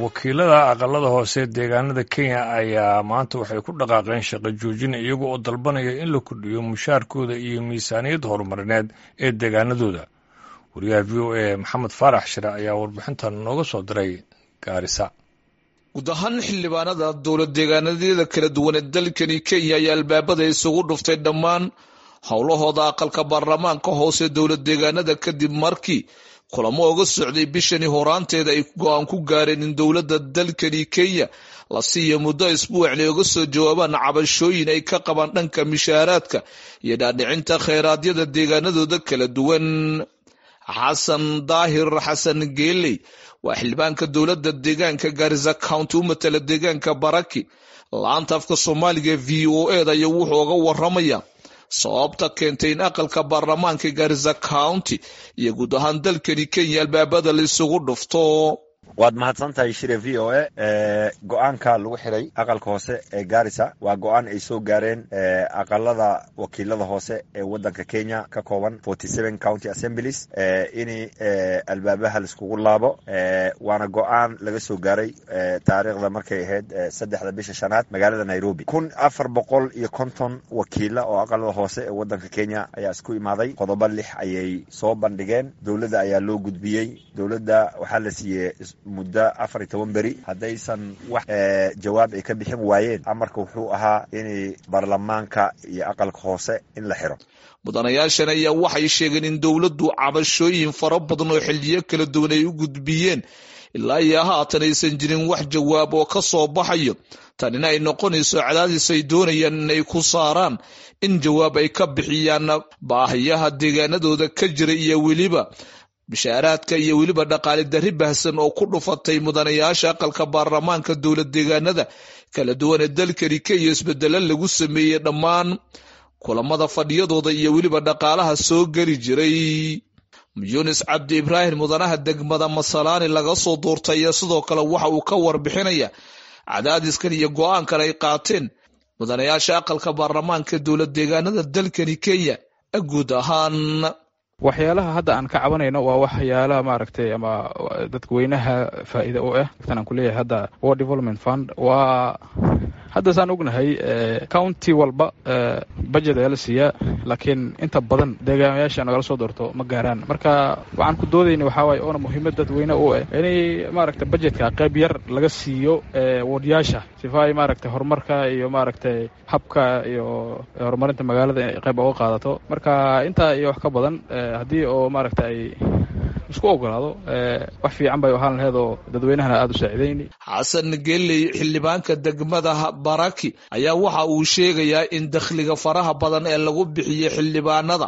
Wakiilada aqalada hoose deegaanada Kenya ayaa maanta waxay ku dhaqaaqeen shaqo joojin, iyaga oo dalbanaya in la kordhiyo mushaarkooda iyo miisaaniyad horumarineed ee deegaanadooda. Wariyaha VOA Maxamed Faarax Shire ayaa warbixintan nooga soo diray Gaarisa. Guud ahaan xildhibaanada dowlad deegaanadyada kala duwan ee dalkani Kenya ayaa albaabada isugu dhuftay dhammaan howlahooda aqalka baarlamaanka hoose dowlad deegaanada, kadib markii kulamo uga socday bishani horaanteeda ay go-aan ku gaareen in dowladda dalkani Kenya la siiyo muddo isbuucnay uga soo jawaabaan cabashooyin ay ka qabaan dhanka mishaaraadka iyo dhaadhicinta kheyraadyada deegaanadooda kala duwan. Xasan Daahir Xasan Geeley waa xildhibaanka dowladda deegaanka Garissa County u matala deegaanka Baraki. Laanta afka Soomaaliga VOA da ayaa wuxuu uga waramaya sababta keentay in aqalka baarlamaanka Garissa County iyo guud ahaan dalkani Kenya albaabada la isugu dhufto. Waad mahadsan tahay, Shire. VOA go-aanka lagu xiray aqalka hoose ee Garissa waa go-aan ay soo gaareen aqalada wakiilada hoose ee wadanka Kenya ka kooban 47 county assemblies in albaabaha laiskugu laabo, waana go-aan laga soo gaaray taariikhda markay ahayd 3-da bisha shanaad magaalada Nairobi. 1450 wakiila oo aqalada hoose ee wadanka Kenya ayaa isku imaaday. Qodobo lix ayay soo bandhigeen, dowladda ayaa loo gudbiyey. Dowladda waxaa la siiyey muddo 14 beri. Haddaysan wax jawaab ay ka bixin waayeen, amarka wuxuu ahaa inay baarlamaanka iyo aqalka hoose in la xiro. Mudanayaashan ayaa waxay sheegeen in dowladdu cabashooyin fara badan oo xiliyo kala duwan ay u gudbiyeen ilaa iyo haatan aysan jirin wax jawaab oo ka soo baxayo, tanina ay noqonayso cadaadis ay doonayaan inay ku saaraan in jawaab ay ka bixiyaan baahiyaha deegaanadooda ka jira iyo weliba bishaaraadka iyo weliba dhaqaale darri baahsan oo ku dhufatay mudanayaasha aqalka baarlamaanka dowlad deegaanada kala duwan ee dalkani Kenya, isbedelo lagu sameeyey dhammaan kulamada fadhiyadooda iyo weliba dhaqaalaha soo geli jiray. Yunis Cabdi Ibraahim, mudanaha degmada Masalaani laga soo doortay, ayaa sidoo kale waxa uu ka warbixinaya cadaadiskan iyo go-aankan ay qaateen mudanayaasha aqalka baarlamaanka dowlad deegaanada dalkani Kenya guud ahaan. Waxyaalaha hadda aan ka cabanayno waa waxyaalaha, maaragtay, ama dadweynaha faa'iida u ah. Tan aan kuleeyahay hadda Ward Development Fund waa hadda saan ognahay county walba budget ayaa la siiyaa, laakiin inta badan deegaamayaasha nagala soo doorto ma gaaraan. Marka waxaan ku doodayna waxaa waaye oona muhiimad dadweyne u ah inay, maaragtay, budgetka qayb yar laga siiyo wardyaasha sifa ay, maaragtay, horumarka iyo, maaragtay, habka iyo horumarinta magaalada inay qayb uga qaadato. Marka intaa iyo wax ka badan haddii oo, maaragta, ay isku ogolaado, wax fiican bay ahaan laheed oo dadweynahana aada u saacidayni. Xasan Geley, xildhibaanka degmada Baraki, ayaa waxa uu sheegayaa in dakhliga faraha badan ee lagu bixiyey xildhibaanada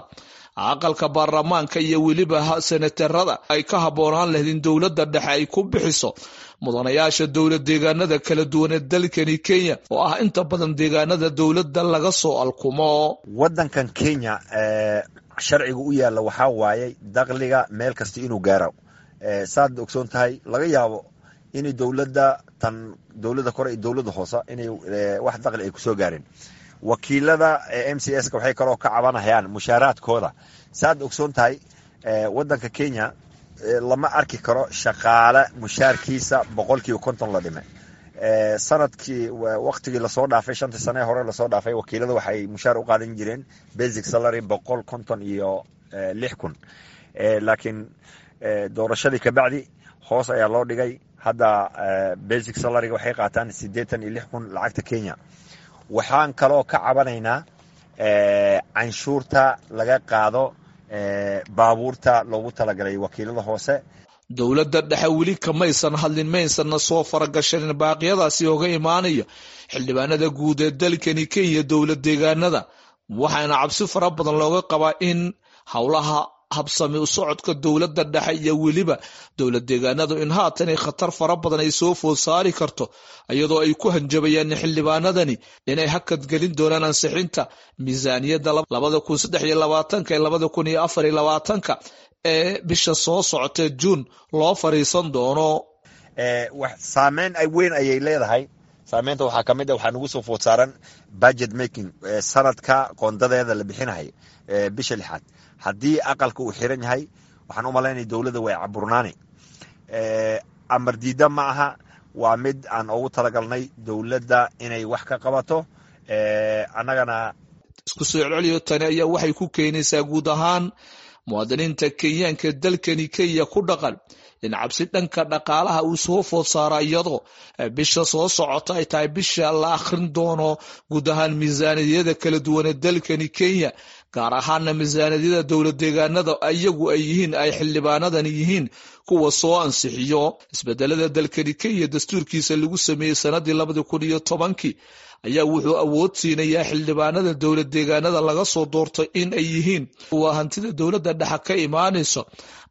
aqalka baarlamaanka iyo weliba senatarada ay ka habboonaan lahayd in dowladda dhexe ay ku bixiso mudanayaasha dowlad deegaanada kala duwan ee dalkani Kenya, oo ah inta badan deegaanada dowladda laga soo alkumo. Wadankan Kenya sharciga u yaalla waxaa waayey dakhliga meel kasta inuu gaaro. Saad ogsoon tahay, laga yaabo inay dowladda tan dowladda kore iyo dowladda hoose inay wax dakhli ay kusoo gaareen. Wakiilada MCS ka waxay kaloo ka cabanayaan mushaaraadkooda. Saad ogsoon tahay, wadanka Kenya lama arki karo shaqaale mushaarkiisa 50% la dhime. Sanadkii waktigii lasoo dhaafay, 5-tii sane hore lasoo dhaafay, wakiilada waxay mushaar u qaadan jireen basic salary 156,000, laakiin doorashadii kabacdi hoos ayaa loo dhigay. Hadda basic salaryga waxay qaataan 86,000 lacagta Kenya. Waxaan kaloo ka cabanaynaa canshuurta laga qaado baabuurta loogu talagalay wakiilada hoose. Dowladda dhexe weli kamaysan hadlin, maysanna soo faragashanin baaqyadaasi oga imaanaya xildhibaanada guud ee dalkani Kenya dowlad deegaanada, waxaana cabsi fara badan looga qabaa in howlaha habsami u socodka dowladda dhexe iyo weliba dowlad deegaanadu in haatan ay khatar fara badan ay soo food saari karto, iyadoo ay ku hanjabayaan xildhibaanadani inay hakad gelin doonaan ansixinta miisaaniyadda 2023 ee 2024 ee bisha soo socotee Juun loo fariisan doono. Saameyn weyn ayay leedahay. Saameynta waxaa ka mid ah waxaa nagu soo food saaran budget making, sanadka qoondadeeda la bixinahay bisha lixaad. Haddii aqalka uu xiran yahay, waxaan u malaynaya dowladda way caburnaani. Amar diida ma aha. Waa mid aan ugu talagalnay dowladda inay wax ka qabato, annagana. Isku soo celceliyo, tani ayaa waxay ku keenaysaa guud ahaan muwaadiniinta Kenyaanka dalkani Kenya ku dhaqan in cabsi dhanka dhaqaalaha uu soo food saara, iyadoo bisha soo socota ay tahay bisha la akhrin doono guud ahaan miisaaniyada kala duwan ee dalkani Kenya, gaar ahaana miisaaniyada dowlad deegaanada iyagu ay yihiin ay xildhibaanadani yihiin kuwa soo ansixiyo. Isbedelada dalkani Kenya dastuurkiisa lagu sameeyey sanadii 2010-kii ayaa wuxuu awood siinayaa xildhibaanada dowlad deegaanada laga soo doortay in ay yihiin kuwa hantida dowladda dhexa ka imaanayso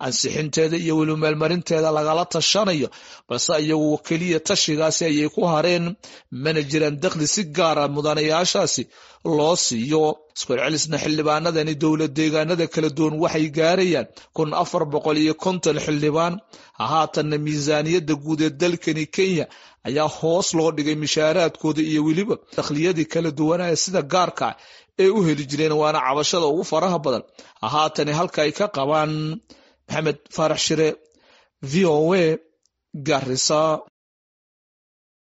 ansixinteeda iyo weli meelmarinteeda lagala tashanayo, balse iyagu keliya tashigaasi ayay ku hareen, mana jiraan dakhli si gaara mudanayaashaasi loo siiyo. Iskucelcelisna xildhibaanadani dowlad deegaanada kala duwan waxay gaarayaan 1450 xildhibaan. Haatanna miisaaniyadda guud ee dalkani Kenya ayaa hoos loo dhigay mishaaraadkooda iyo weliba dakhliyadii kala duwanaya sida gaarka ee u heli jireen, waana cabashada ugu faraha badan haatani halka ay ka qabaan. Maxamed Faarax Shire, VOA, Garissa.